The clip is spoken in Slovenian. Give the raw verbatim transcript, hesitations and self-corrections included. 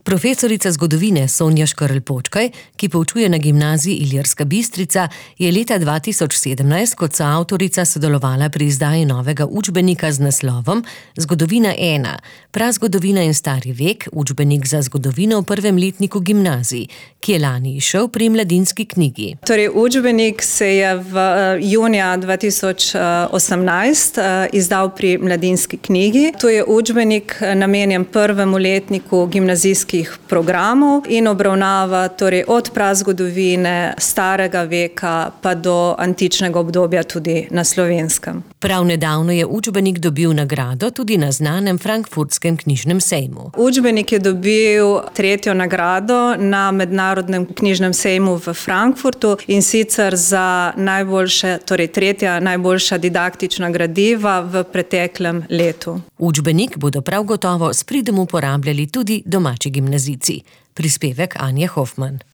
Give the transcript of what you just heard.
Profesorica zgodovine Sonja Škerl Počkaj, ki poučuje na gimnaziji Ilirska Bistrica, je leta dva tisoč sedemnajst kot soavtorica sodelovala pri izdaji novega učbenika z naslovom Zgodovina ena, prazgodovina in stari vek, učbenik za zgodovino v prvem letniku gimnazij, ki je lani izšel pri Mladinski knjigi. Torej, učbenik se je v junija dva tisoč osemnajst izdal pri Mladinski knjigi. To je učbenik namenjen prvemu letniku gimnazijskih programov in obravnava torej od prazgodovine, starega veka pa do antičnega obdobja tudi na Slovenskem. Prav nedavno je učbenik dobil nagrado tudi na znanem frankfurtskem knjižnem sejmu. Učbenik je dobil tretjo nagrado na mednarodnem knjižnem sejmu v Frankfurtu in sicer za najboljše, torej tretja najboljša didaktična gradiva v preteklem letu. Učbenik bodo prav gotovo s pridom uporabljali tudi domači gimnazijci. Prispevek Anje Hofman.